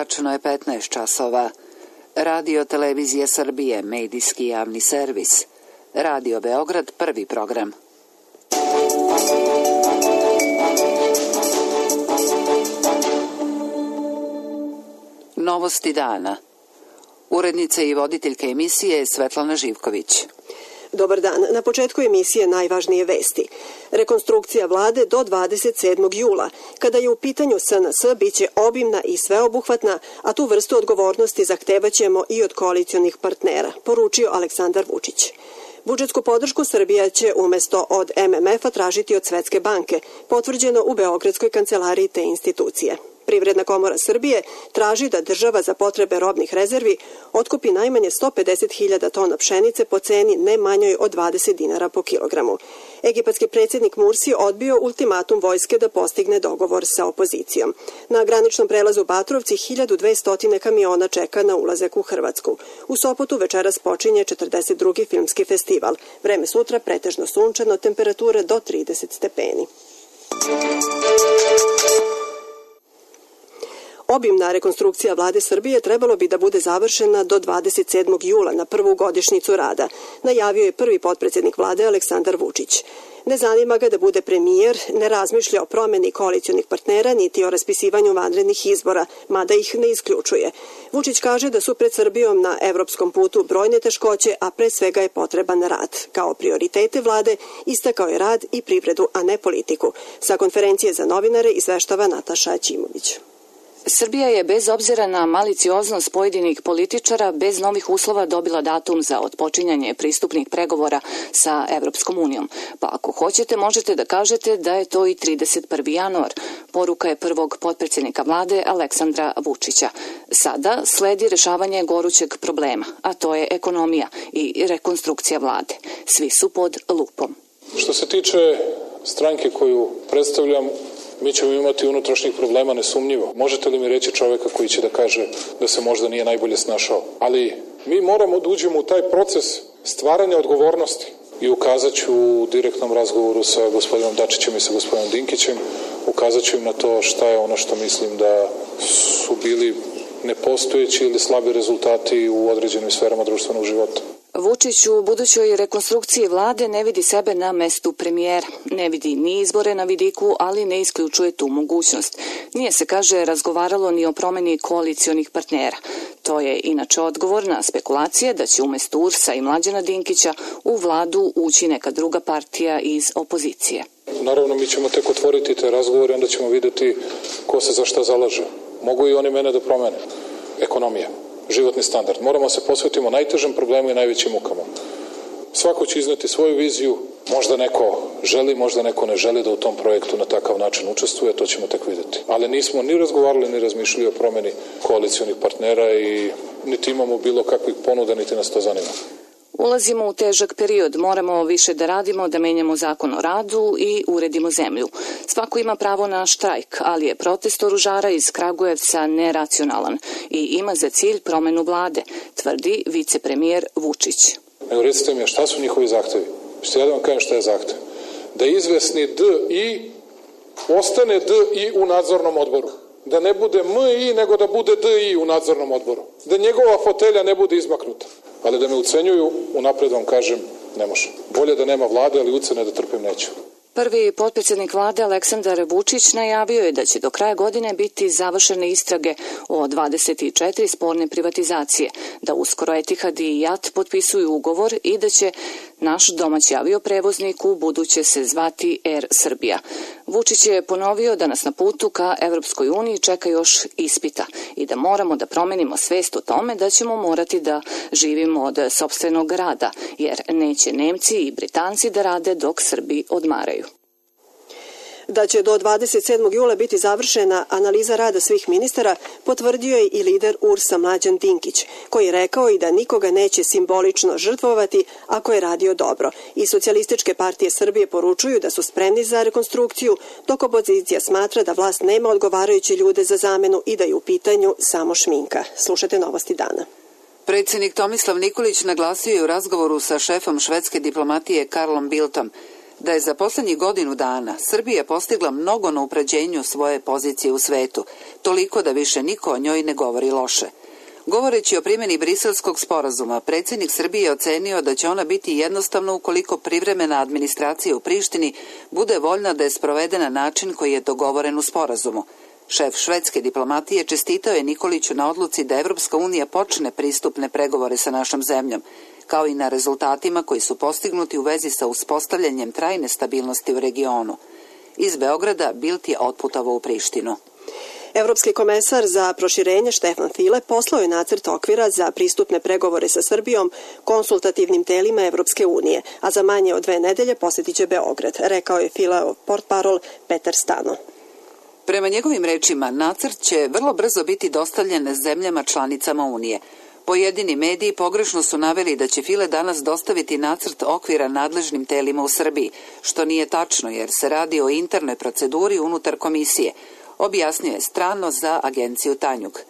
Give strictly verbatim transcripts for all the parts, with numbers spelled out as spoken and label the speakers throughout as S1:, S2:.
S1: Tačno je petnaest časova. Radio Televizija Srbije, medijski javni servis. Radio Beograd, prvi program. Novosti dana. Urednica i voditeljka emisije Svetlana Živković.
S2: Dobar dan. Na početku emisije najvažnije vesti. Rekonstrukcija vlade do dvadeset sedmog jula. Kada je u pitanju S N S, bit će obimna i sveobuhvatna, a tu vrstu odgovornosti zahtevaćemo i od koalicionih partnera, poručio Aleksandar Vučić. Budžetsku podršku Srbija će umesto od M M F-a tražiti od Svetske banke, potvrđeno u Beogradskoj kancelariji te institucije. Privredna komora Srbije traži da država za potrebe robnih rezervi otkupi najmanje sto pedeset hiljada tona pšenice po ceni ne manjoj od dvadeset dinara po kilogramu. Egipatski predsjednik Mursi odbio ultimatum vojske da postigne dogovor sa opozicijom. Na graničnom prelazu Batrovci hiljadu dvesta kamiona čeka na ulazak u Hrvatsku. U Sopotu večeras počinje četrdeset drugi filmski festival. Vreme sutra pretežno sunčano, temperature do trideset stepeni. Obimna rekonstrukcija vlade Srbije trebalo bi da bude završena do dvadeset sedmog jula na prvu godišnjicu rada, najavio je prvi potpredsjednik vlade Aleksandar Vučić. Ne zanima ga da bude premijer, ne razmišlja o promeni koalicionih partnera niti o raspisivanju vanrednih izbora, mada ih ne isključuje. Vučić kaže da su pred Srbijom na evropskom putu brojne teškoće, a pre svega je potreban rad. Kao prioritete vlade istakao je rad i privredu, a ne politiku. Sa konferencije za novinare izveštava Nataša Ćimović.
S3: Srbija je bez obzira na malicioznost pojedinih političara bez novih uslova dobila datum za otpočinjanje pristupnih pregovora sa Evropskom unijom. Pa ako hoćete, možete da kažete da je to i trideset prvi januar. Poruka je prvog potpredsjednika vlade Aleksandra Vučića. Sada sledi rešavanje gorućeg problema, a to je ekonomija i rekonstrukcija vlade. Svi su pod lupom.
S4: Što se tiče stranke koju predstavljam, mi ćemo imati unutrašnjih problema nesumnjivo. Možete li mi reći čoveka koji će da kaže da se možda nije najbolje snašao? Ali mi moramo da uđemo u taj proces stvaranja odgovornosti i ukazat ću u direktnom razgovoru sa gospodinom Dačićem i sa gospodinom Dinkićem, ukazat ću im na to šta je ono što mislim da su bili nepostojeći ili slabi rezultati u određenim sferama društvenog života.
S3: Vučić u budućoj rekonstrukciji vlade ne vidi sebe na mestu premijera. Ne vidi ni izbore na vidiku, ali ne isključuje tu mogućnost. Nije se, kaže, razgovaralo ni o promeni koalicionih partnera. To je inače odgovor na spekulacije da će umesto U R S-a i Mlađana Dinkića u vladu ući neka druga partija iz opozicije.
S4: Naravno, mi ćemo tek otvoriti te razgovore, onda ćemo videti ko se za šta zalaže. Mogu i oni mene da promene. Ekonomija. Životni standard. Moramo se posvetiti najtežem problemu i najvećim mukama. Svako će izneti svoju viziju, možda neko želi, možda neko ne želi da u tom projektu na takav način učestvuje, to ćemo tek videti. Ali nismo ni razgovarali, ni razmišljali o promeni koalicionih partnera i niti imamo bilo kakvih ponuda, niti nas to zanima.
S3: Ulazimo u težak period, moramo više da radimo, da menjamo zakon o radu i uredimo zemlju. Svako ima pravo na štrajk, ali je protest oružara iz Kragujevca neracionalan i ima za cilj promenu vlade, tvrdi vicepremijer Vučić.
S4: Nego recite mi, šta su njihovi zahtevi? Što ja da vam kažem šta je zahtev? Da izvesni D I ostane D I u nadzornom odboru. Da ne bude M I, nego da bude D I u nadzornom odboru. Da njegova fotelja ne bude izmaknuta. Ali da me ucenjuju, unapred vam kažem, ne može. Bolje da nema vlade, ali ucene da trpim neću.
S3: Prvi potpredsjednik vlade Aleksandar Vučić najavio je da će do kraja godine biti završene istrage o dvadeset četiri sporne privatizacije, da uskoro Etihad i J A T potpisuju ugovor i da će naš domaći avioprevoznik u buduće se zvati Air Srbija. Vučić je ponovio da nas na putu ka Evropskoj uniji čeka još ispita i da moramo da promenimo svest o tome da ćemo morati da živimo od sopstvenog rada, jer neće Nemci i Britanci da rade dok Srbi odmaraju.
S2: Da će do dvadeset sedmog jula biti završena analiza rada svih ministara, potvrdio je i lider U R S-a Mlađan Dinkić, koji je rekao i da nikoga neće simbolično žrtvovati ako je radio dobro. I Socijalističke partije Srbije poručuju da su spremni za rekonstrukciju, dok opozicija smatra da vlast nema odgovarajuće ljude za zamenu i da je u pitanju samo šminka. Slušajte novosti dana.
S1: Predsjednik Tomislav Nikolić naglasio je u razgovoru sa šefom švedske diplomatije Karlom Bildtom da je za posljednjih godinu dana Srbija postigla mnogo na upređenju svoje pozicije u svetu, toliko da više niko o njoj ne govori loše. Govoreći o primjeni Briselskog sporazuma, predsjednik Srbije je ocenio da će ona biti jednostavno ukoliko privremena administracija u Prištini bude voljna da je sprovede na način koji je dogovoren u sporazumu. Šef švedske diplomatije čestitao je Nikoliću na odluci da Evropska unija počne pristupne pregovore sa našom zemljom, kao i na rezultatima koji su postignuti u vezi sa uspostavljanjem trajne stabilnosti u regionu. Iz Beograda Bild je otputovao u Prištinu.
S2: Evropski komesar za proširenje Štefan File poslao je nacrt okvira za pristupne pregovore sa Srbijom konsultativnim telima Evropske unije, a za manje od dve nedelje posjetit će Beograd, rekao je Fileov portparol Petar Stano.
S1: Prema njegovim rečima, nacrt će vrlo brzo biti dostavljen zemljama članicama Unije. Pojedini mediji pogrešno su naveli da će File danas dostaviti nacrt okvira nadležnim telima u Srbiji, što nije tačno jer se radi o internoj proceduri unutar komisije, objasnio je strano za agenciju Tanjug.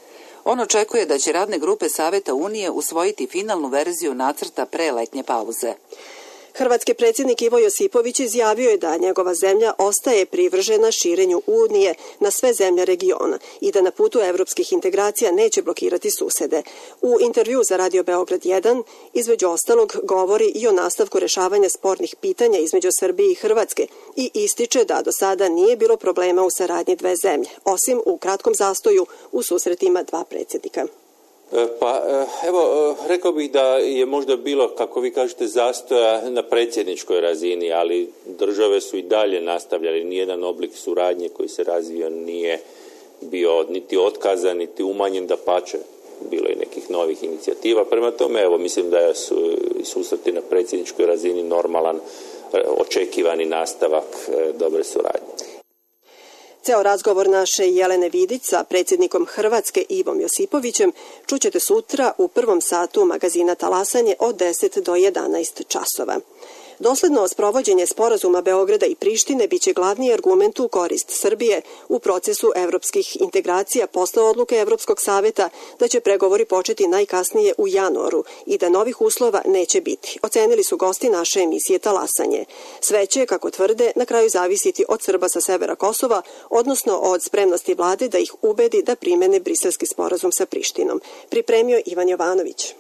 S1: On očekuje da će radne grupe Saveta Unije usvojiti finalnu verziju nacrta pre letnje pauze.
S2: Hrvatski predsjednik Ivo Josipović izjavio je da njegova zemlja ostaje privržena širenju Unije na sve zemlje regiona i da na putu evropskih integracija neće blokirati susede. U intervju za Radio Beograd jedan, između ostalog, govori i o nastavku rešavanja spornih pitanja između Srbije i Hrvatske i ističe da do sada nije bilo problema u saradnji dve zemlje, osim u kratkom zastoju u susretima dva predsjednika.
S5: Pa evo, rekao bih da je možda bilo, kako vi kažete, zastoja na predsjedničkoj razini, ali države su i dalje nastavljali. Nijedan oblik suradnje koji se razvio nije bio niti otkazan, niti umanjen, dapače. Bilo je nekih novih inicijativa. Prema tome, evo, mislim da su susreti na predsjedničkoj razini normalan, očekivani nastavak dobre suradnje.
S2: Ceo razgovor naše Jelene Vidić sa predsjednikom Hrvatske Ivom Josipovićem čućete sutra u prvom satu magazina Talasanje od deset do jedanaest časova. Dosledno sprovođenje sporazuma Beograda i Prištine biće glavni argument u korist Srbije u procesu evropskih integracija posle odluke Evropskog saveta da će pregovori početi najkasnije u januaru i da novih uslova neće biti. Ocenili su gosti naše emisije Talasanje. Sve će, kako tvrde, na kraju zavisiti od Srba sa severa Kosova, odnosno od spremnosti vlade da ih ubedi da primene Briselski sporazum sa Prištinom. Pripremio Ivan Jovanović.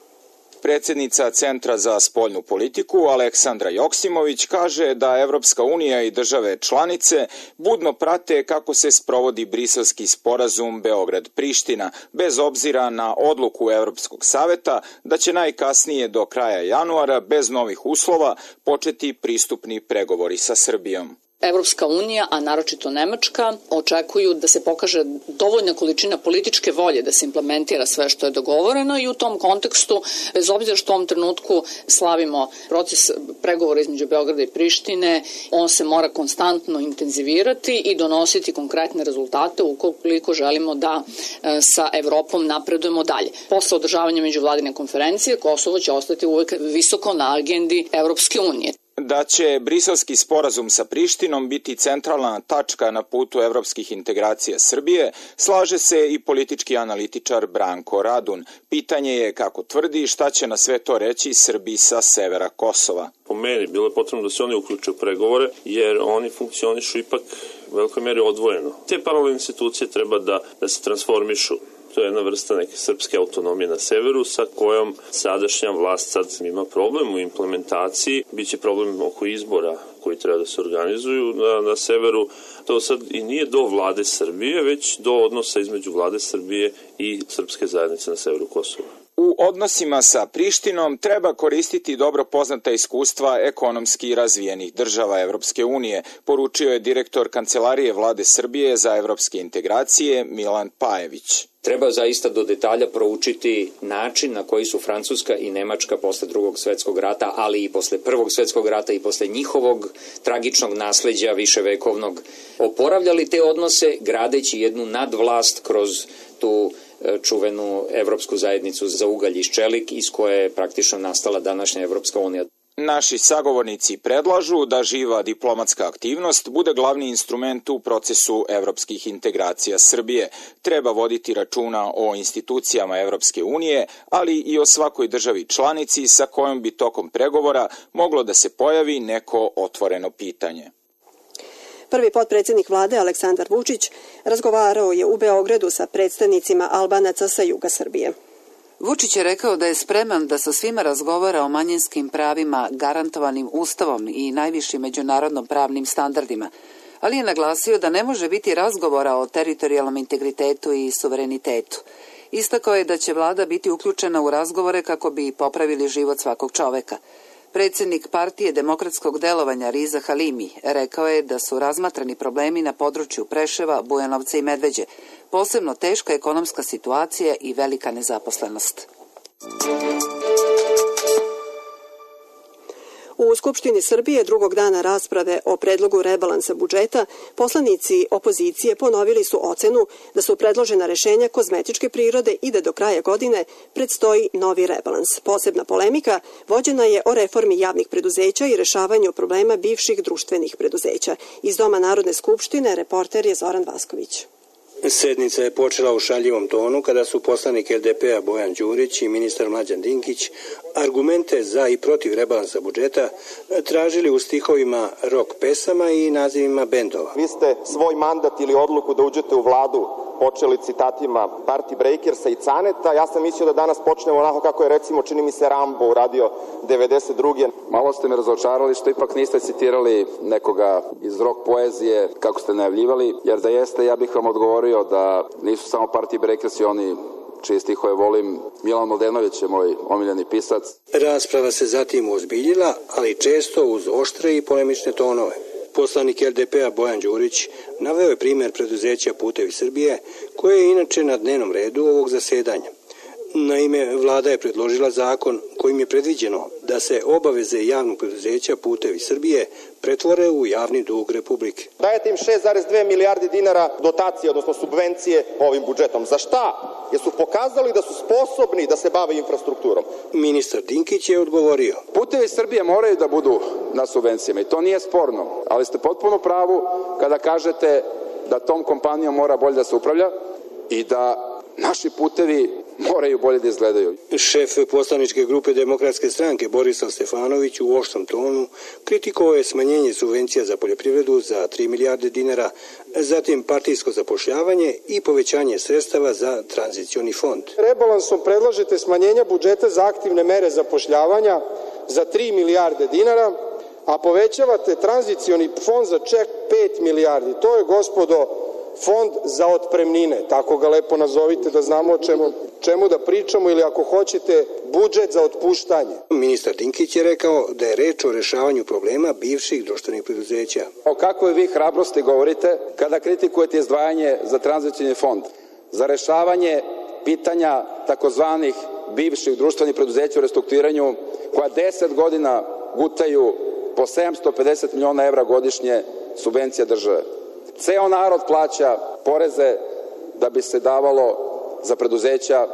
S6: Predsjednica Centra za spoljnu politiku Aleksandra Joksimović kaže da Evropska unija i države članice budno prate kako se sprovodi Briselski sporazum Beograd-Priština, bez obzira na odluku Evropskog saveta da će najkasnije do kraja januara bez novih uslova početi pristupni pregovori sa Srbijom.
S3: Evropska unija, a naročito Nemačka, očekuju da se pokaže dovoljna količina političke volje da se implementira sve što je dogovoreno i u tom kontekstu, bez obzira što u ovom trenutku slavimo proces pregovora između Beograda i Prištine, on se mora konstantno intenzivirati i donositi konkretne rezultate ukoliko želimo da sa Evropom napredujemo dalje. Posle održavanja međuvladine konferencije, Kosovo će ostati uvek visoko na agendi Evropske unije.
S6: Da će Briselski sporazum sa Prištinom biti centralna tačka na putu evropskih integracija Srbije, slaže se i politički analitičar Branko Radun. Pitanje je, kako tvrdi, šta će na sve to reći Srbi sa severa Kosova.
S7: Po meni bilo je potrebno da se oni uključe u pregovore, jer oni funkcionišu ipak u velikoj meri odvojeno. Te paralelne institucije treba da, da se transformišu. To je jedna vrsta neke srpske autonomije na severu sa kojom sadašnja vlast sad ima problem u implementaciji. Biće problem oko izbora koji treba da se organizuju na, na severu. To sad i nije do vlade Srbije, već do odnosa između vlade Srbije i srpske zajednice na severu Kosova.
S6: U odnosima sa Prištinom treba koristiti dobro poznata iskustva ekonomski razvijenih država Evropske unije, poručio je direktor Kancelarije vlade Srbije za evropske integracije Milan Pajević.
S8: Treba zaista do detalja proučiti način na koji su Francuska i Nemačka posle drugog svetskog rata, ali i posle prvog svetskog rata i posle njihovog tragičnog nasleđa viševekovnog oporavljali te odnose, gradeći jednu nadvlast kroz tu čuvenu Evropsku zajednicu za ugalj i ščelik iz koje je praktično nastala današnja Evropska unija.
S6: Naši sagovornici predlažu da živa diplomatska aktivnost bude glavni instrument u procesu evropskih integracija Srbije. Treba voditi računa o institucijama Evropske unije, ali i o svakoj državi članici sa kojom bi tokom pregovora moglo da se pojavi neko otvoreno pitanje.
S2: Prvi potpredsjednik vlade Aleksandar Vučić razgovarao je u Beogradu sa predstavnicima Albanaca sa juga Srbije.
S1: Vučić je rekao da je spreman da sa svima razgovara o manjinskim pravima garantovanim Ustavom i najvišim međunarodnom pravnim standardima, ali je naglasio da ne može biti razgovora o teritorijalnom integritetu i suverenitetu. Istakao je da će vlada biti uključena u razgovore kako bi popravili život svakog čoveka. Predsjednik Partije demokratskog delovanja Riza Halimi rekao je da su razmatrani problemi na području Preševa, Bujanovca i Medveđe, posebno teška ekonomska situacija i velika nezaposlenost.
S2: U Skupštini Srbije drugog dana rasprave o predlogu rebalansa budžeta poslanici opozicije ponovili su ocenu da su predložena rešenja kozmetičke prirode i da do kraja godine predstoji novi rebalans. Posebna polemika vođena je o reformi javnih preduzeća i rešavanju problema bivših društvenih preduzeća. Iz Doma Narodne skupštine reporter je Zoran Vasković.
S9: Sednica je počela u šaljivom tonu kada su poslanik el de pe a Bojan Đurić i ministar Mlađan Dinkić argumente za i protiv rebalansa budžeta tražili u stihovima rock pesama i nazivima bendova.
S10: Vi ste svoj mandat ili odluku da uđete u vladu počeli citatima Party Breakersa i Caneta. Ja sam mislio da danas počnemo onako kako je recimo čini mi se Rambo uradio devedeset druge.
S11: Malo ste me razočarali što ipak niste citirali nekoga iz rock poezije kako ste najavljivali, jer da jeste ja bih vam odgovorio da nisu samo Party Breakersi oni čije stihove volim. Milan Mladenović je moj omiljeni pisac.
S9: Rasprava se zatim ozbiljila, ali često uz oštre i polemične tonove. Poslanik el de pe a Bojan Đurić naveo je primjer preduzeća Putevi Srbije, koje je inače na dnevnom redu ovog zasedanja. Naime, vlada je predložila zakon kojim je predviđeno da se obaveze javnog preduzeća Putevi Srbije pretvore u javni dug Republike.
S10: Dajete im šest zarez dve milijardi dinara dotacije, odnosno subvencije ovim budžetom. Za šta? Jer su pokazali da su sposobni da se bave infrastrukturom.
S9: Ministar Dinkić je odgovorio.
S11: Putevi Srbije moraju da budu na subvencijama i to nije sporno, ali ste potpuno pravu kada kažete da tom kompanijom mora bolje da se upravlja i da naši putevi moraju bolje da izgledaju.
S9: Šef poslaničke grupe Demokratske stranke Borislav Stefanović u oštrom tonu kritikovao je smanjenje subvencija za poljoprivredu za tri milijarde dinara, zatim partijsko zapošljavanje i povećanje sredstava za tranzicioni fond.
S12: Rebalansom predlažete smanjenja budžeta za aktivne mere zapošljavanja za tri milijarde dinara, a povećavate tranzicioni fond za ček pet milijardi. To je, gospodo, fond za otpremnine, tako ga lepo nazovite da znamo o čemu, čemu da pričamo, ili ako hoćete budžet za otpuštanje.
S9: Ministar Dinkić je rekao da je reč o rešavanju problema bivših društvenih preduzeća.
S11: O kakvoj vi hrabrosti govorite kada kritikujete izdvajanje za tranzicioni fond, za rešavanje pitanja takozvanih bivših društvenih preduzeća u restrukturiranju koja deset godina gutaju po sedamsto pedeset miliona evra godišnje subvencija države. Ceo narod plaća poreze da bi se davalo za preduzeća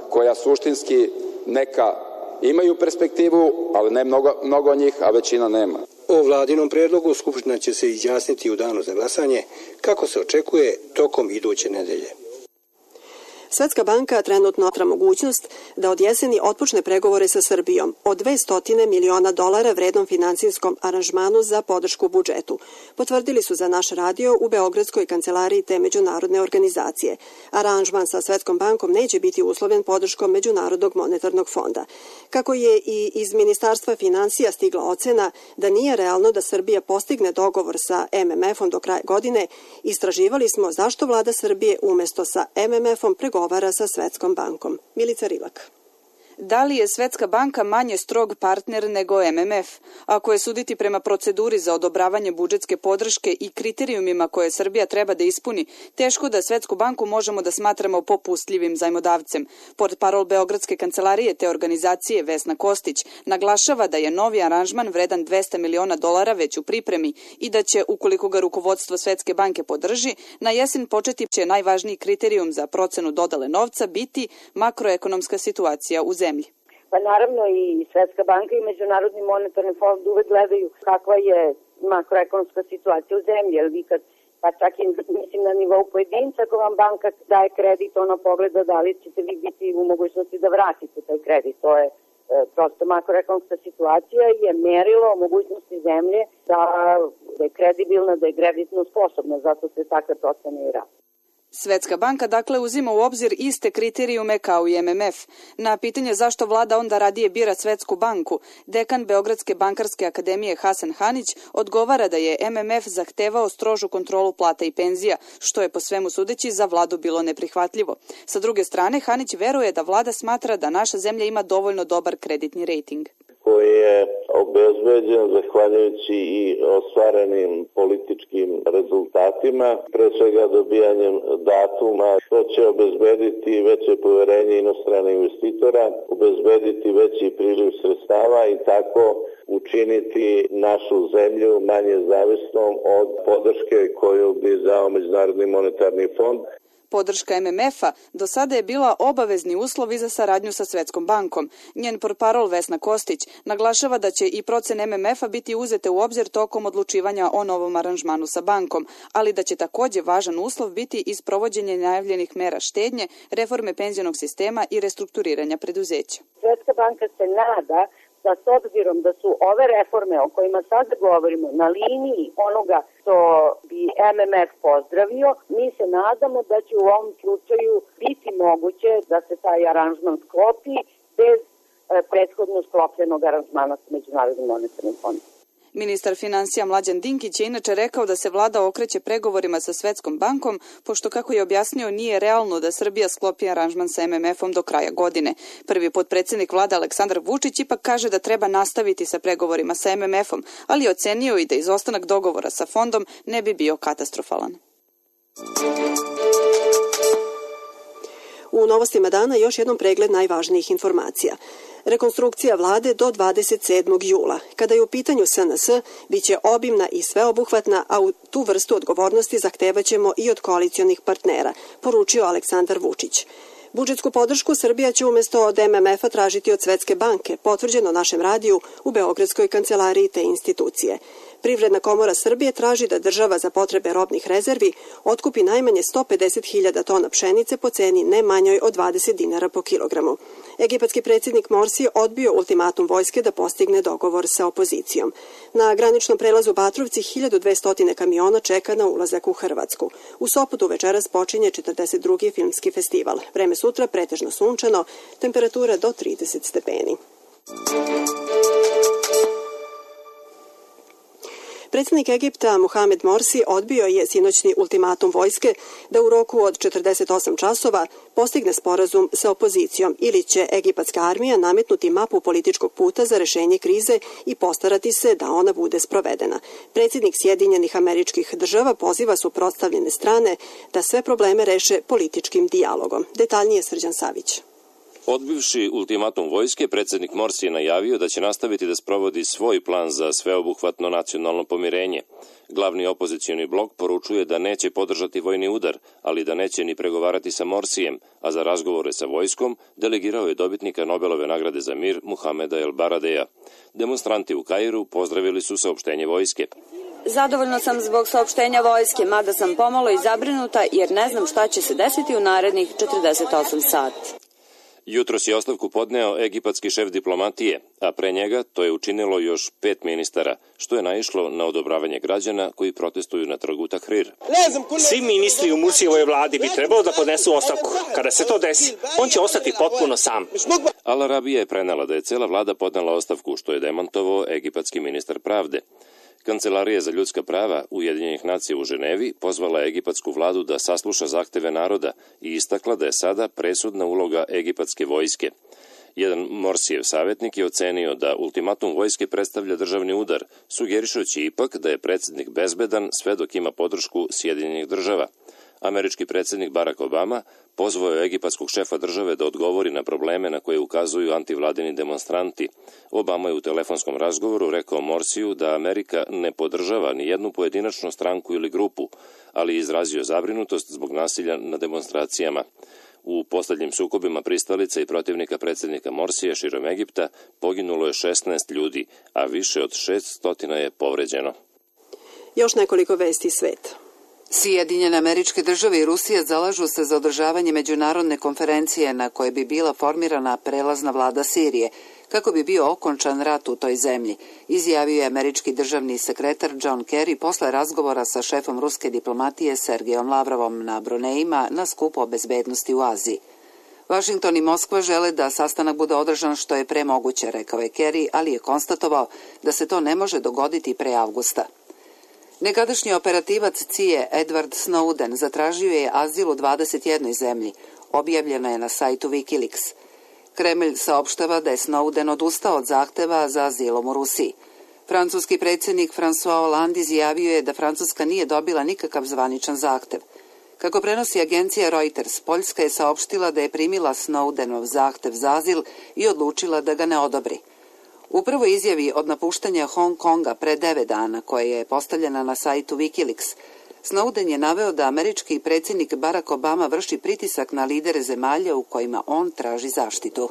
S11: koja suštinski neka imaju perspektivu, ali ne mnogo, mnogo njih, a većina nema.
S9: O vladinom predlogu Skupština će se izjasniti u danu za glasanje, kako se očekuje tokom iduće nedelje.
S2: Svetska banka trenutno otra mogućnost da od jeseni otpočne pregovore sa Srbijom o dvesta miliona dolara vrednom finansijskom aranžmanu za podršku budžetu. Potvrdili su za naš radio u Beogradskoj kancelariji te međunarodne organizacije. Aranžman sa Svetskom bankom neće biti uslovljen podrškom Međunarodnog monetarnog fonda. Kako je i iz Ministarstva finansija stigla ocena da nije realno da Srbija postigne dogovor sa em em efom do kraja godine, istraživali smo zašto vlada Srbije umesto sa em em efom pregovara sa Svetskom bankom. Milica Rilak.
S13: Da li je Svetska banka manje strog partner nego em em ef? Ako je suditi prema proceduri za odobravanje budžetske podrške i kriterijumima koje Srbija treba da ispuni, teško da Svetsku banku možemo da smatramo popustljivim zajmodavcem. Portparol Beogradske kancelarije te organizacije Vesna Kostić naglašava da je novi aranžman vredan dvesta miliona dolara već u pripremi i da će, ukoliko ga rukovodstvo Svetske banke podrži, na jesen početi će najvažniji kriterijum za procenu dodale novca biti makroekonomska situacija u zemlji.
S14: Pa naravno i Svetska banka i Međunarodni monetarni fond uvek gledaju kakva je makroekonomska situacija u zemlji, jer vi kad, pa čak i mislim na nivou pojedinca, ako vam banka daje kredit, ona pogleda da li ćete vi biti u mogućnosti da vratite taj kredit. To je e, prosto makroekonomska situacija je merilo mogućnosti zemlje da, da je kredibilna, da je kreditno sposobna, zato se takve procene i rade.
S13: Svetska banka dakle uzima u obzir iste kriterijume kao i M M F. Na pitanje zašto vlada onda radije bira Svetsku banku, dekan Beogradske bankarske akademije Hasan Hanić odgovara da je M M F zahtevao strožu kontrolu plata i penzija, što je po svemu sudeći za vladu bilo neprihvatljivo. Sa druge strane, Hanić veruje da vlada smatra da naša zemlja ima dovoljno dobar kreditni rejting,
S15: koji je obezbeđen zahvaljujući i ostvarenim političkim rezultatima, pre svega dobijanjem datuma, što će obezbediti veće poverenje inostranih investitora, obezbediti veći priliv sredstava i tako učiniti našu zemlju manje zavisnom od podrške koju bi dao Međunarodni monetarni fond.
S13: Podrška M M F-a do sada je bila obavezni uslov i za saradnju sa Svetskom bankom. Njen portparol Vesna Kostić naglašava da će i procene M M F-a biti uzete u obzir tokom odlučivanja o novom aranžmanu sa bankom, ali da će takođe važan uslov biti i sprovođenje najavljenih mera štednje, reforme penzionog sistema i restrukturiranja preduzeća.
S14: Svetska banka se nada da s obzirom da su ove reforme o kojima sad govorimo na liniji onoga što bi M M F pozdravio, mi se nadamo da će u ovom slučaju biti moguće da se taj aranžman sklopi bez e, prethodno sklopljenog aranžmana sa Međunarodnim monetarnim fondom.
S13: Ministar finansija Mlađan Dinkić je inače rekao da se vlada okreće pregovorima sa Svetskom bankom, pošto, kako je objasnio, nije realno da Srbija sklopi aranžman sa M M F-om do kraja godine. Prvi potpredsednik vlade Aleksandar Vučić ipak kaže da treba nastaviti sa pregovorima sa M M F-om, ali je ocenio i da izostanak dogovora sa fondom ne bi bio katastrofalan.
S2: U novostima dana još jednom pregled najvažnijih informacija. Rekonstrukcija vlade do dvadeset sedmog jula. Kada je u pitanju S N S, bit će obimna i sveobuhvatna, a u tu vrstu odgovornosti zahtevaćemo i od koalicionih partnera, poručio Aleksandar Vučić. Budžetsku podršku Srbija će umesto od M M F-a tražiti od Svetske banke, potvrđeno našem radiju u Beogradskoj kancelariji te institucije. Privredna komora Srbije traži da država za potrebe robnih rezervi otkupi najmanje sto pedeset hiljada tona pšenice po ceni ne manjoj od dvadeset dinara po kilogramu. Egipatski predsjednik Morsi odbio ultimatum vojske da postigne dogovor sa opozicijom. Na graničnom prelazu Batrovci hiljadu dvesta kamiona čeka na ulazak u Hrvatsku. U Sopotu večeras počinje četrdeset drugi filmski festival. Vreme sutra pretežno sunčano, temperatura do trideset stepeni. Predsjednik Egipta Mohamed Morsi odbio je sinoćni ultimatum vojske da u roku od četrdeset osam časova postigne sporazum sa opozicijom ili će egipatska armija nametnuti mapu političkog puta za rešenje krize i postarati se da ona bude sprovedena. Predsjednik Sjedinjenih Američkih Država poziva suprotstavljene strane da sve probleme reše političkim dijalogom. Detaljnije Srđan Savić.
S16: Odbivši ultimatum vojske, predsjednik Morsi je najavio da će nastaviti da sprovodi svoj plan za sveobuhvatno nacionalno pomirenje. Glavni opozicioni blok poručuje da neće podržati vojni udar, ali da neće ni pregovarati sa Morsijem, a za razgovore sa vojskom delegirao je dobitnika Nobelove nagrade za mir Muhameda El Baradeja. Demonstranti u Kairu pozdravili su saopštenje vojske.
S17: Zadovoljno sam zbog saopštenja vojske, mada sam pomalo i zabrinuta jer ne znam šta će se desiti u narednih četrdeset osam sati.
S16: Jutros je ostavku podneo egipatski šef diplomatije, a pre njega to je učinilo još pet ministara, što je naišlo na odobravanje građana koji protestuju na trgu Tahrir.
S18: Svi ministri u Mursijevoj vladi bi trebalo da podnesu ostavku. Kada se to desi, on će ostati potpuno sam.
S16: Al Arabija je prenela da je cela vlada podnela ostavku, što je demantovao egipatski ministar pravde. Kancelarija za ljudska prava Ujedinjenih nacija u Ženevi pozvala je egipatsku vladu da sasluša zahteve naroda i istakla da je sada presudna uloga egipatske vojske. Jedan Morsijev savjetnik je ocenio da ultimatum vojske predstavlja državni udar, sugerišući ipak da je predsjednik bezbedan sve dok ima podršku Sjedinjenih država. Američki predsjednik Barack Obama pozvao je egipatskog šefa države da odgovori na probleme na koje ukazuju antivladini demonstranti. Obama je u telefonskom razgovoru rekao Morsiju da Amerika ne podržava ni jednu pojedinačnu stranku ili grupu, ali je izrazio zabrinutost zbog nasilja na demonstracijama. U posljednjim sukobima pristalica i protivnika predsjednika Morsija širom Egipta poginulo je šesnaest ljudi, a više od šeststo je povređeno.
S2: Još nekoliko vesti sveta.
S1: Sjedinjene Američke Države i Rusija zalažu se za održavanje međunarodne konferencije na kojoj bi bila formirana prelazna vlada Sirije, kako bi bio okončan rat u toj zemlji, izjavio je američki državni sekretar John Kerry posle razgovora sa šefom ruske diplomatije Sergejom Lavrovom na Brunejima na skupu o bezbednosti u Aziji. Vašington i Moskva žele da sastanak bude održan što je pre moguće, rekao je Kerry, ali je konstatovao da se to ne može dogoditi pre avgusta. Nekadašnji operativac C I A Edward Snowden zatražio je azil u dvadeset jednoj zemlji, objavljeno je na sajtu Wikileaks. Kremlj saopštava da je Snowden odustao od zahteva za azilom u Rusiji. Francuski predsjednik François Hollande izjavio je da Francuska nije dobila nikakav zvaničan zahtev. Kako prenosi agencija Reuters, Poljska je saopštila da je primila Snowdenov zahtev za azil i odlučila da ga ne odobri. U prvoj izjavi od napuštanja Hong Konga pre devet dana, koja je postavljena na sajtu Wikileaks, Snowden je naveo da američki predsjednik Barack Obama vrši pritisak na lidere zemalja u kojima on traži zaštitu.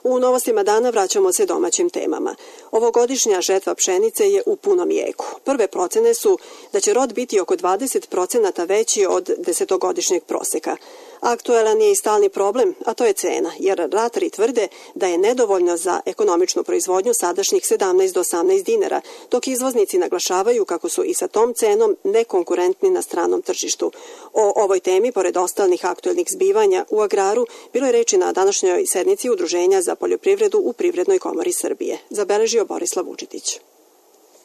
S2: U novostima dana vraćamo se domaćim temama. Ovogodišnja žetva pšenice je u punom jeku. Prve procene su da će rod biti oko dvadeset procenata veći od desetogodišnjeg proseka. Aktuelan je i stalni problem, a to je cena, jer ratari tvrde da je nedovoljno za ekonomičnu proizvodnju sadašnjih sedamnaest do osamnaest dinara, dok izvoznici naglašavaju kako su i sa tom cenom nekonkurentni na stranom tržištu. O ovoj temi, pored ostalih aktuelnih zbivanja u agraru, bilo je reči na današnjoj sednici Udruženja za poljoprivredu u Privrednoj komori Srbije. Zabeležio Borislav Vučetić.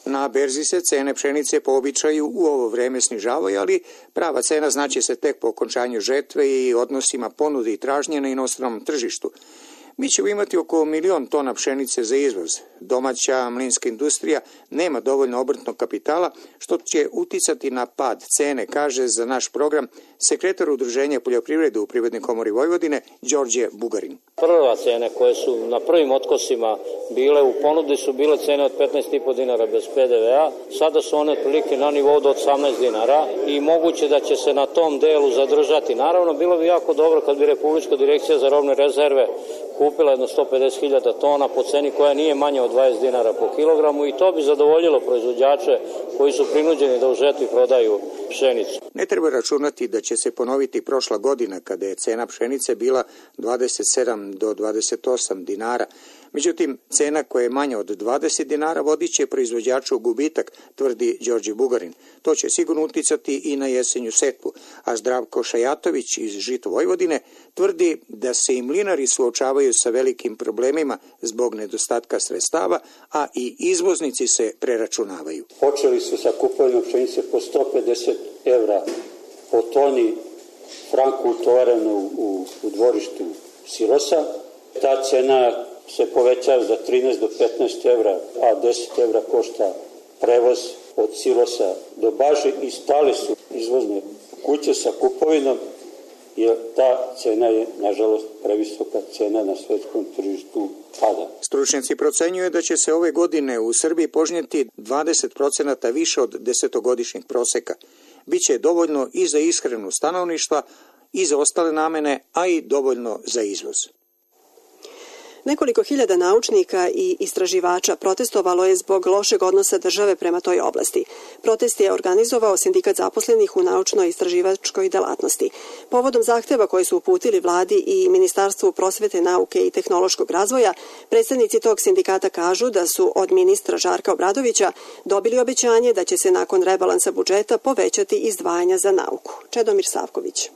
S19: Na berzi se cene pšenice po običaju u ovo vreme snižavaju, ali prava cena znači se tek po okončanju žetve i odnosima ponude i tražnje na inostranom tržištu. Mi ćemo imati oko milion tona pšenice za izvoz. Domaća mlinska industrija nema dovoljno obrtnog kapitala, što će uticati na pad cene, kaže za naš program sekretar Udruženja poljoprivrede u Privrednoj komori Vojvodine, Đorđe Bugarin.
S20: Prva cene koje su na prvim otkosima bile u ponudi su bile cene od petnaest i po dinara bez P D V A, sada su one otprilike na nivou do osamnaest dinara i moguće da će se na tom delu zadržati. Naravno, bilo bi jako dobro kad bi Republička direkcija za robne rezerve kupila jedno sto pedeset hiljada tona po ceni koja nije manja od dvadeset dinara po kilogramu i to bi zadovoljilo proizvođače koji su prinuđeni da u žetvi prodaju pšenicu.
S19: Ne treba računati da će se ponoviti prošla godina kada je cena pšenice bila dvadeset sedam do dvadeset osam dinara. Međutim, cena koja je manja od dvadeset dinara vodit će proizvođaču gubitak, tvrdi Đorđe Bugarin. To će sigurno uticati i na jesenju setvu, a Zdravko Šajatović iz Žito Vojvodine tvrdi da se i mlinari suočavaju sa velikim problemima zbog nedostatka sredstava, a i izvoznici se preračunavaju.
S21: Počeli su sa kupovinom pšenice po sto pedeset evra po toni franku utovarenu u, u dvorištu silosa. Ta cena se povećava za trinaest do petnaest evra, a deset evra košta prevoz od silosa do baže i stale su izvozne kuće sa kupovinom, jer ta cena je, nažalost, previsoka cena na svetskom tržištu pada.
S19: Stručnjaci procenjuju da će se ove godine u Srbiji požnjeti dvadeset procenata više od desetogodišnjeg proseka. Biće dovoljno i za ishranu stanovništva i za ostale namene, a i dovoljno za izvoz.
S2: Nekoliko hiljada naučnika i istraživača protestovalo je zbog lošeg odnosa države prema toj oblasti. Protest je organizovao Sindikat zaposlenih u naučno-istraživačkoj delatnosti. Povodom zahteva koje su uputili vladi i Ministarstvu prosvete, nauke i tehnološkog razvoja, predstavnici tog sindikata kažu da su od ministra Žarka Obradovića dobili obećanje da će se nakon rebalansa budžeta povećati izdvajanja za nauku. Čedomir Savković.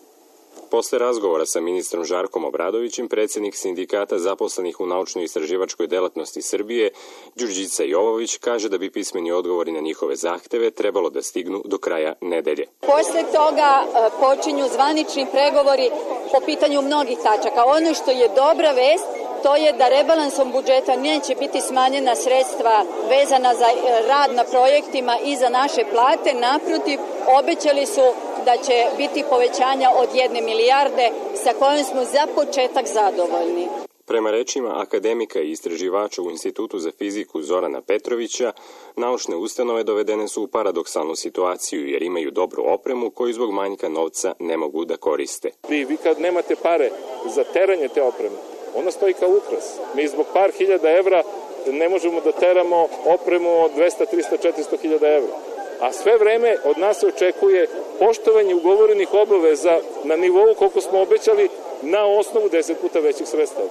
S22: Posle razgovora sa ministrom Žarkom Obradovićem, predsjednik Sindikata zaposlenih u naučno-istraživačkoj delatnosti Srbije, Đurđica Jovović, kaže da bi pismeni odgovori na njihove zahteve trebalo da stignu do kraja nedelje.
S23: Posle toga počinju zvanični pregovori po pitanju mnogih tačaka. Ono što je dobra vest, to je da rebalansom budžeta neće biti smanjena sredstva vezana za rad na projektima i za naše plate. Naprotiv, obećali su da će biti povećanja od jedne milijarde sa kojom smo za početak zadovoljni.
S22: Prema rečima akademika i istraživača u Institutu za fiziku Zorana Petrovića, naučne ustanove dovedene su u paradoksalnu situaciju jer imaju dobru opremu koju zbog manjka novca ne mogu da koriste.
S3: Vi, vi kad nemate pare za teranje te opreme, ona stoji kao ukras. Mi zbog par hiljada evra ne možemo da teramo opremu od dvesta, trista, četiristo hiljada evra. A sve vreme od nas se očekuje poštovanje ugovorenih obaveza na nivou koliko smo obećali na osnovu deset puta većih sredstava.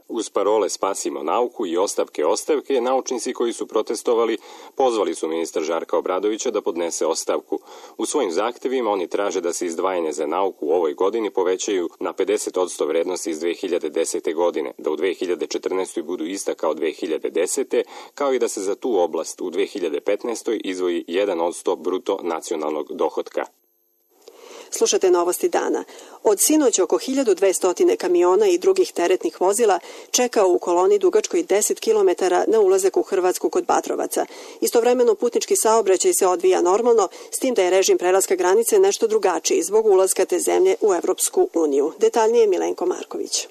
S22: Uz parole Spasimo nauku i ostavke ostavke, naučnici koji su protestovali pozvali su ministra Žarka Obradovića da podnese ostavku. U svojim zahtevima oni traže da se izdvajanje za nauku u ovoj godini povećaju na pedeset posto vrednosti iz dve hiljade desete. godine, da u dve hiljade četrnaestoj. budu ista kao dve hiljade desete. kao i da se za tu oblast u dve hiljade petnaestoj. izdvoji jedan posto bruto nacionalnog dohotka.
S2: Slušate novosti dana. Od sinoć oko hiljadu dvesta kamiona i drugih teretnih vozila čeka u koloni dugačkoj deset kilometara na ulazak u Hrvatsku kod Batrovaca. Istovremeno putnički saobraćaj se odvija normalno, s tim da je režim prelaska granice nešto drugačiji zbog ulaska te zemlje u Evropsku uniju. Detaljnije Milenko Marković.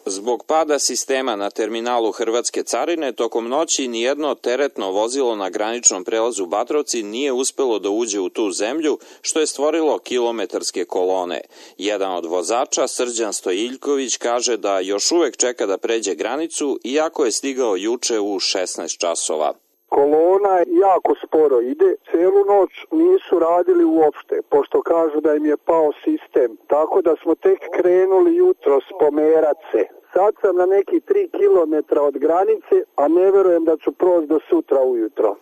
S4: Zbog pada sistema na terminalu Hrvatske carine, tokom noći nijedno teretno vozilo na graničnom prelazu Batrovci nije uspelo da uđe u tu zemlju, što je stvorilo kilometarske kolone. Jedan od vozača, Srđan Stojiljković, kaže da još uvek čeka da pređe granicu, iako je stigao juče u šesnaest časova.
S5: Kolona jako sporo ide, celu noć nisu radili uopšte, pošto kažu da im je pao sistem, tako da smo tek krenuli jutros pomerat se. Sad sam na neki tri kilometra od granice, a ne verujem da ću proći do sutra ujutro.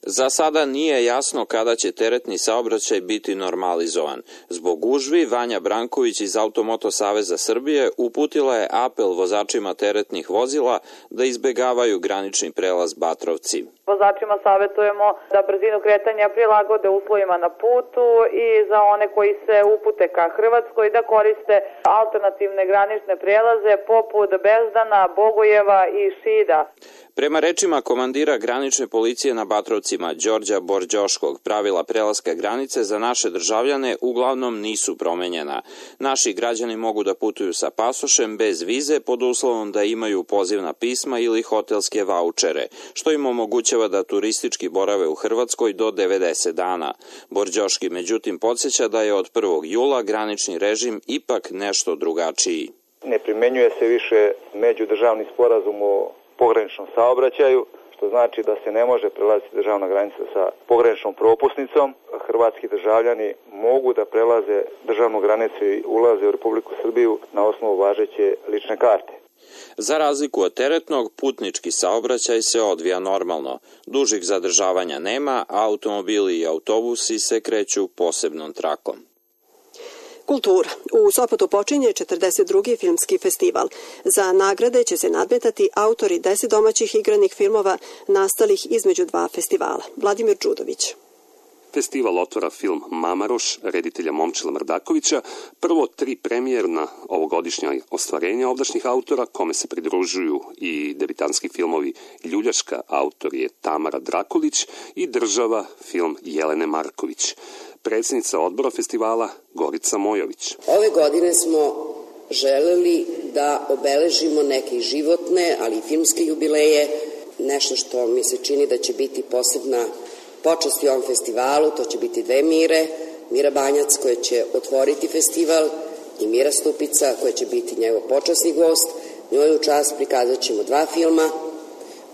S4: Za sada nije jasno kada će teretni saobraćaj biti normalizovan. Zbog gužvi, Vanja Branković iz Automoto Saveza Srbije uputila je apel vozačima teretnih vozila da izbegavaju granični prelaz Batrovci.
S24: Vozačima savjetujemo da brzinu kretanja prilagode uslovima na putu i za one koji se upute ka Hrvatskoj da koriste alternativne granične prelaze poput Bezdana, Bogojeva i Šida.
S4: Prema rečima komandira granične policije na Batrovcima, Đorđa Borđoškog, pravila prelaska granice za naše državljane uglavnom nisu promenjena. Naši građani mogu da putuju sa pasošem bez vize pod uslovom da imaju pozivna pisma ili hotelske vaučere, što im omogućava da turistički borave u Hrvatskoj do devedeset dana. Borđoški međutim podsjeća da je od prvog jula granični režim ipak nešto drugačiji.
S25: Ne primenjuje se više međudržavni sporazum o pograničnom saobraćaju, što znači da se ne može prelaziti državna granica sa pograničnom propusnicom. Hrvatski državljani mogu da prelaze državnu granicu i ulaze u Republiku Srbiju na osnovu važeće lične karte.
S4: Za razliku od teretnog, putnički saobraćaj se odvija normalno. Dužih zadržavanja nema, a automobili i autobusi se kreću posebnom trakom.
S2: Kultura. U Sopotu počinje četrdeset drugi filmski festival. Za nagrade će se nadmetati autori deset domaćih igranih filmova nastalih između dva festivala. Vladimir Đudović.
S26: Festival otvara film Mamaroš, reditelja Momčila Mrdakovića, prvo tri premijerna ovogodišnja ostvarenja ovdašnjih autora, kome se pridružuju i debitanski filmovi Ljuljaška, autor je Tamara Drakulić, i Država, film Jelene Marković. Predsjednica odbora festivala Gorica Mojović.
S27: Ove godine smo želeli da obeležimo neke životne, ali i filmske jubileje, nešto što mi se čini da će biti posebna počast u ovom festivalu. To će biti dve Mire, Mira Banjac koja će otvoriti festival i Mira Stupica koja će biti njegov počasni gost. Njoj u čast prikazat ćemo dva filma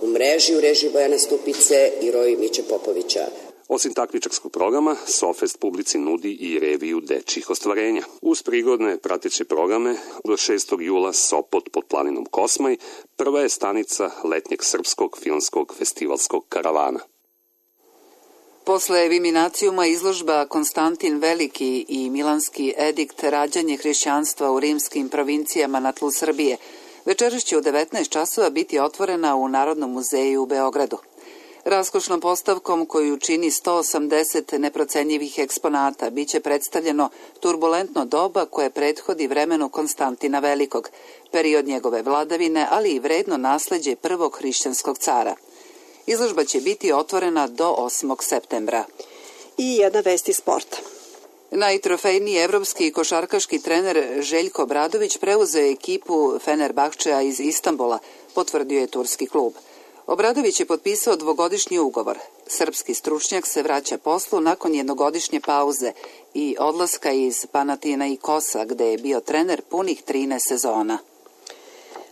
S27: u mreži, u režiji Bojana Stupice i Roji Miće Popovića.
S26: Osim takmičarskog programa, Sofest publici nudi i reviju dečjih ostvarenja. Uz prigodne prateće programe, do šestog jula Sopot pod planinom Kosmaj, prva je stanica letnjeg srpskog filmskog festivalskog karavana.
S1: Posle Viminacijuma izložba Konstantin Veliki i Milanski edikt rađanje hrišćanstva u rimskim provincijama na tlu Srbije večeras će u devetnaest časova biti otvorena u Narodnom muzeju u Beogradu. Raskošnom postavkom koju čini sto osamdeset neprocenjivih eksponata biće predstavljeno turbulentno doba koje prethodi vremenu Konstantina Velikog, period njegove vladavine, ali i vredno nasleđe prvog hrišćanskog cara. Izložba će biti otvorena do osmog septembra.
S2: I jedna vest iz sporta.
S1: Najtrofejniji evropski košarkaški trener Željko Obradović preuzeo je ekipu Fenerbahčea iz Istanbula, potvrdio je turski klub. Obradović je potpisao dvogodišnji ugovor. Srpski stručnjak se vraća poslu nakon jednogodišnje pauze i odlaska iz Panathinaikosa, gde je bio trener punih trinaest sezona.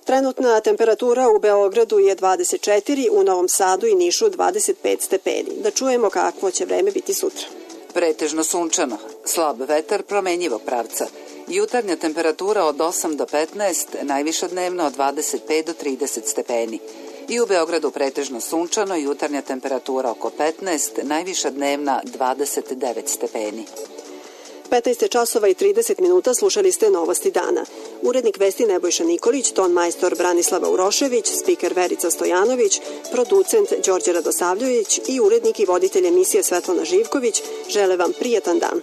S2: Trenutna temperatura u Beogradu je dvadeset četiri, u Novom Sadu i Nišu dvadeset pet stepeni. Da čujemo kakvo će vreme biti sutra.
S1: Pretežno sunčano, slab vetar promenjivog pravca. Jutarnja temperatura od osam do petnaest, najviša dnevno od dvadeset pet do trideset stepeni. I u Beogradu pretežno sunčano, jutarnja temperatura oko petnaest, najviša dnevna dvadeset devet stepeni.
S2: petnaest časova i trideset minuta, slušali ste Novosti dana. Urednik vesti Nebojša Nikolić, ton majstor Branislava Urošević, spiker Verica Stojanović, producent Đorđe Radosavljević i urednik i voditelj emisije Svetlana Živković žele vam prijetan dan.